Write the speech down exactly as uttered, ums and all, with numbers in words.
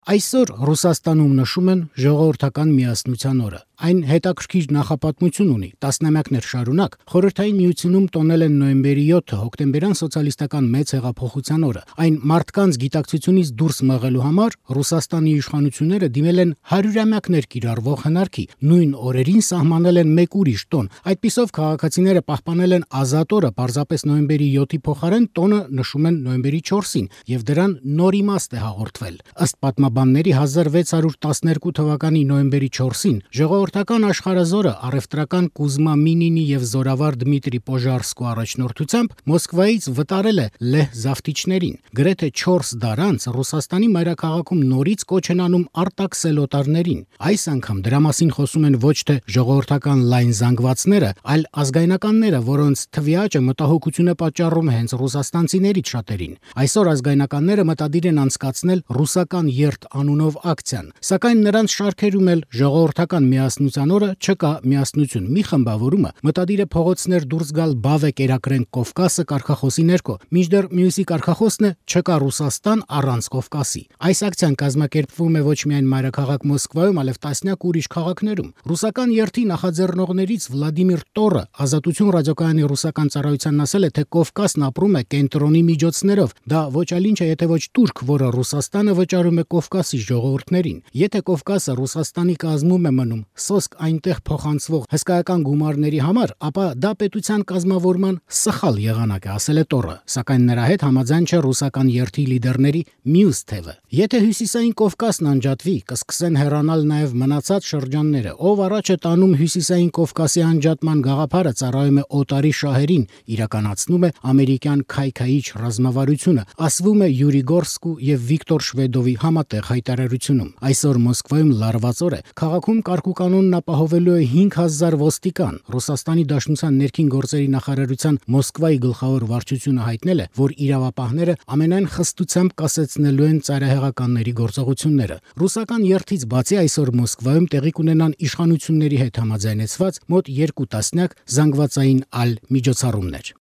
Այսօր Ռուսաստանում նշում են ժողովրդական միասնության օրը։ Այն հետաքրքիր նախապատմություն ունի։ Տասնամյակներ շարունակ Խորհրդային Միությունում տոնել են նոյեմբերի յոթը հոկտեմբերյան սոցիալիստական մեծ հեղափոխության օրը։ Այն մարդկանց գիտակցությունից դուրս մղելու համար Ռուսաստանի իշխանությունները դիմել են հարյուրամյակներ կիրառվող հնարքի։ Նույն օրերին սահմանել են մեկ ուրիշ տոն։ Այդպիսով քաղաքացիները պահպանել են ազատ օրը պարզապես նոյեմբերի յոթի փոխարեն տոնը նշում են նոյեմբերի չորսին, եւ դրան նոր իմաստ է հաղորդվել։ Ըստ պատմաբանների հազար վեց հարյուր տասներկու թվականի նոյեմբերի չորսին ժողովրդական աշխարհազորը առևտրական Կուզմա Մինինի եւ զորավար Դմիտրի Պոժարսկու առաջնորդությամբ Մոսկվայից վտարել է լեհ զավթիչներին։ Գրեթե չորս դար անց Ռուսաստանի մայրաքաղաքում նորից կոչ են անում արտաքսել օտարներին։ Այս անգամ դրա մասին խոսում են ոչ թե ժողովրդական լայն զանգվածները, այլ ազգայնականները, որոնց թվի աճը մտահոգություն է պատճառում հենց ռուսաստանցիներից շատերին։ Այսօր ազգայնականները մտադիր են անցկացնել ռուսական երթ անունով ակցիան, սակայն նրանց շարքերում էլ ժողովրդական միասնության օրը չկա միասնություն։ Մի խմբավորումը մտադիր է փողոցներ դուրս գալ «Բավե կերակրենք Կովկասը» կարգախոսի ներքո, մինչդեռ մյուսի կարգախոսն է «Չկա Ռուսաստան առանց Կովկասի»։ Այս ակցիան կազմակերպվում է ոչ միայն մայրաքաղաք Մոսկվայում, այլև տասնյակ ուրիշ քաղաքներում։ Ռուսական երթի նախաձեռնողներից Վլադիմիր Տորը Ազատություն ռադիոկայանի ռուսական ծառայությանն ասել է, թե Կովկասն ապրում է կենտրոնի միջոցներով։ Դա ոչ այլ ինչ է, եթե ոչ турք, որը Ռուսաստանը վճարում է Կովկասի ժողովուրդներին։ Եթե Կովկասը Ռուսաստանի կազմում է մնում սոսկ այնտեղ փոխանցվող հսկայական գումարների համար, ապա դա պետության կազմավորման սխալ եղանակ է, ասել է Տորը, սակայն նրա հետ համաձայն չէ ռուսական երթի լիդերների մյուս թևը։ Եթե հյուսիսային Կովկասն անջատվի, կսկսեն հեռանալ նաև մնացած շրջանները։ Ով առաջ է տանում հյուսիսային Կովկասի անջատման գաղափարը, ծառայում է օտարի շահերին, իրականացնում է ամերիկյան քայքայիչ ռազմավարությունը, ասվում է Յուրիգորսկու եւ Վիկտոր Շվեդովի համատեղ հայտարարությունում։ Այսօր Մոսկվայում լարված օր է։ Քաղաքում կարգուկանոնն ապահովելու է հինգ հազար ոստիկան։ Ռուսաստանի Դաշնության ներքին գործերի նախարարության Մոսկվայի գլխավոր վարչությունը հայտնել է, որ իրավապահները ամենայն խստությամբ կասեցնելու են ծայրահեղականների գործողությունները։ Ռուսական երթից բացի այսօր Մոսկվայում տեղի կունենան իշխանությունների հետ համաձայնեցված մոտ երկու տասնյակ զանգվածային այլ միջոցառումներ։